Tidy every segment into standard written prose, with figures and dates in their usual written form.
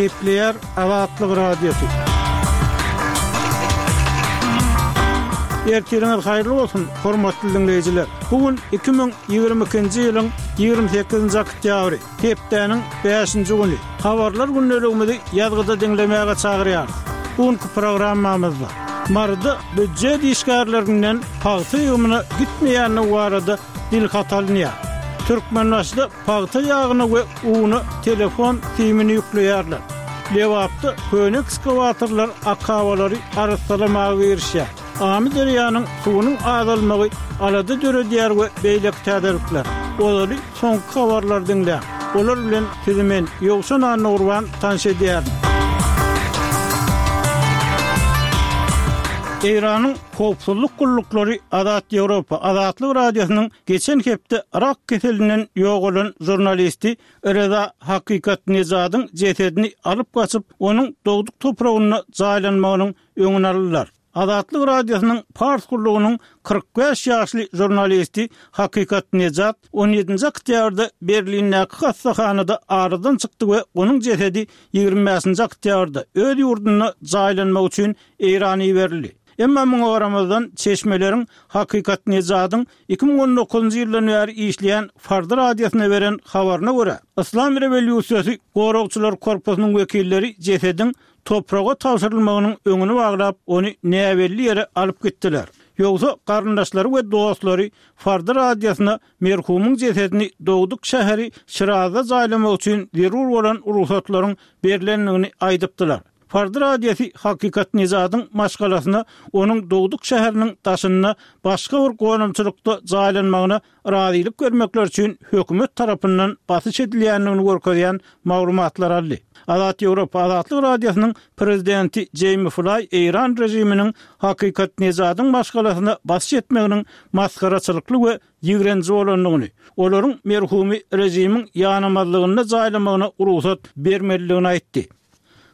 Gepleýär Azatlyk Radiosy. Ertiriňiz haýyrly bolsun, hormatly diňleýjiler! Bu gün 2022-nji ýylyň 28-nji oktýabry, hepdäniň bäşinji güni. Habarlar gündeligimizi ýazgyda diňlemäge çagyrýarys. Bu günki programmamyzda Maryda býujet işgärlerinden pagta ýygymyna gitmeýändigi barada dilhat alynýar. Türkmenbaşyda pagta ýagyna we una telefon simini ýükleýärler. Lebapda köne ekskawatorlar akabalary arassalamaga girişýär. Amyderýanyň suwunyň azalmagy alada döredýär we beýleki täzelikler. Ozaly soňky habarlary diňläň. Olar bilen sizi men, Ýowşan Annagurban tanyş edýärin. Eýranyň howpsuzlyk gulluklary Azat Ýewropa Azatlyk Radiosynyň geçen hepde rak keselinden ýogalan žurnalisti Reza Hakykatnejadyň jesedini alyp gaçyp, onuň dogduk topragynda jaýlanmagynyň öňüni aldylar. Azatlyk Radiosynyň Pars gullugynyň 45 ýaşly žurnalisti Hakykatnejad on ýedinji oktýabrda Berlindäki hassahanada aradan çykdy we onuň jesedi 25-nji oktýabrda öz ýurdunda jaýlanmagy üçin Eýrana iberildi. Emma muňa garamazdan, çeşmeleriň Hakykatnejadyň 2019-njy ýyldan bäri işleýän Farda radiosyna beren habaryna görä, Yslam rewolýusiýasy goragçylar korpusynyň wekilleri jesediň topraga tabşyrylmagynyň öňüni baglap, ony näbelli ýere alyp gitdiler. Ýogsa, garyndaşlary we dostlary Farda radiosyna merhumyň jesedini dogduk şäheri Şirazda jaýlamak üçin zerur bolan rugsatlaryň berlendigini aýdypdylar. Farda radiosy Hakykatnejadyň maşgalasyna onuň dogduk şäheriniň daşynda başga bir gonamçylykda jaýlanmagyna razylyk bermekleri üçin hökümet tarapyndan basyş edilýändigini görkezýän maglumatlar aldy. Azat Ýewropa Azatlyk Radiosynyň prezidenti Jeými Flaý eýran režiminiň Hakykatnejadyň maşgalasyna basyş etmeginiň masgaraçylykly we ýigrenji bolandygyny, olaryň merhumy režimiň ýanamazlygynda jaýlamagyna rugsat bermelidigini aýtdy.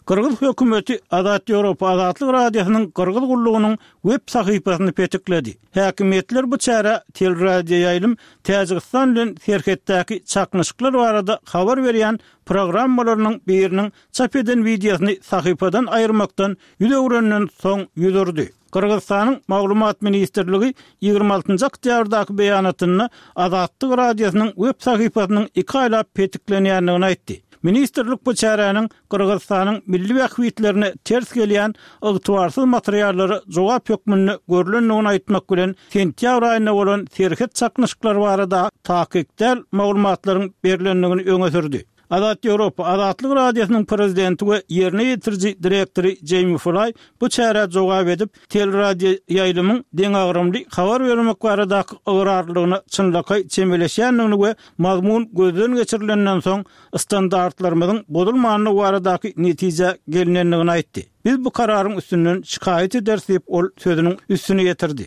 Gyrgyz hökümeti Azat Ýewropa Azatlyk Radiosynyň Gyrgyz gullugynyň web sahypasyny petikledi. Häkimiýetler bu çärä teleradioýaýlym Täjigistan bilen serhetdäki çaknyşyklar barada habar berýän programmalarynyň biriniň çap eden wideosyny sahypadan aýyrmakdan ýüz öwrenden soň ýüz urdy. Gyrgyzystanyň Maglumat ministrligi 26 njy oktýabrdaky beýanatynda Azatlyk Radiosynyň web sahypasynyň iki aýlap petiklenýändigini aýtdy. Ministrlik bu çäräniň Gyrgyzystanyň milli bähbitlerine ters gelýän ygtybarsyz materiallara jogap hökmünde görlendigini aýtmak bilen, sentýabr aýynda bolan serhet çaknyşyklary barada takyk däl maglumatlaryň berlendigini öňe sürdi. Azat Ýewropa Azatlyk Radiosynyň prezidenti we ýerine ýetiriji direktory Jeými Flaý bu çärä jogap edip, teleradioýaýlymyň deňagramly habar bermek baradaky ygrarlylygyna çynlakaý çemeleşýändigini we mazmun gözden geçirilenden soň standartlarymyzyň bozulmandygy baradaky netijä gelnendigini aýtdy. Biz bu kararyň üstünden şikaýat ederis diýip, ol sözüniň üstüni ýetirdi.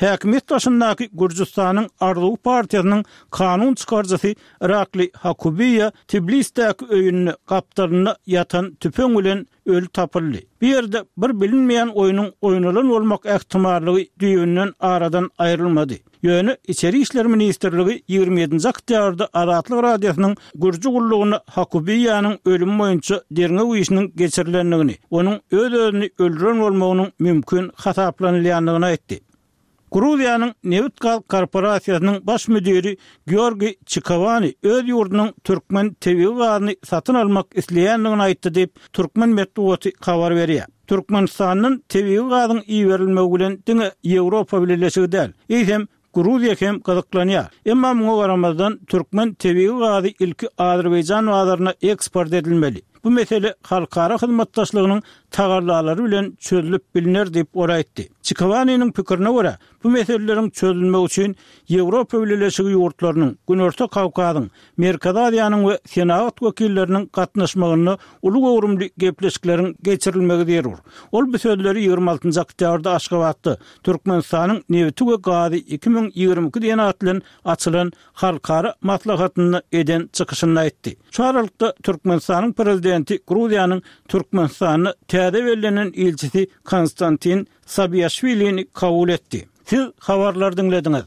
Häkimiýet başyndaky Gürjüstanyň Arzuw partiýasynyň kanun çykaryjysy Irakli Hakubiýa Tblisdäki öýünde gapdalynda ýatan tüpeň bilen öli tapyldy. Bu ýerde bir bilinmeýän oýnuň oýnalan bolmak ähtimallygy düýbünden aradan aýrylmady. Ýöne Içeri işler ministrligi 27-nji oktýabrda Azatlyk Radiosynyň gürji gullugyna Hakubiýanyň ölümi boýunça derňew işiniň geçirilendigini, onuň öz-özüni öldüren bolmagynyň mümkin hasaplanylýandygyny aýtdy. Gruziýanyň nebit-gaz korporasiýasynyň baş müdiri Georgiý Çikowani öz ýurdunyň türkmen tebigy gazyny satyn almak isleýändigini aýtdy diýip, türkmen metbugaty habar berýär. Türkmenistandan tebigy gazyň iberilmegi bilen diňe Ýewropa Bileleşigi däl, eýsem, Gruziýa hem gyzyklanýar. Emma muňa garamazdan, türkmen tebigy gazy ilki Azerbaýjan bazaryna eksport edilmeli. Bu mesele halkara hyzmatdaşlygynyň tagallalary bilen çözlüp bilner diýip, ol aýtdy. Çikowaniniň pikirine görä, bu meseleleriň çözülmegi üçin Ýewropa Bileleşigi ýurtlarynyň, Günorta Kawkazyň, Merkezi Aziýanyň we senagat wekilleriniň gatnaşmagynda uly göwrümli gepleşikleriň geçirilmegi zerur. Ol bu sözleri 26 oktýabrda Aşgabatda Türkmenistanyň nebiti we gazy 2022 diýen at bilen açylan halkara maslahatynda eden çykyşynda aýtdy. Şu aralykda, Türkmenistanyň Prezidenti Gruziýanyň Türkmenistanda täze bellenen ilçisi Konstantin Sabiaşwilini kabul etdi. Siz habarlary diňlediňiz.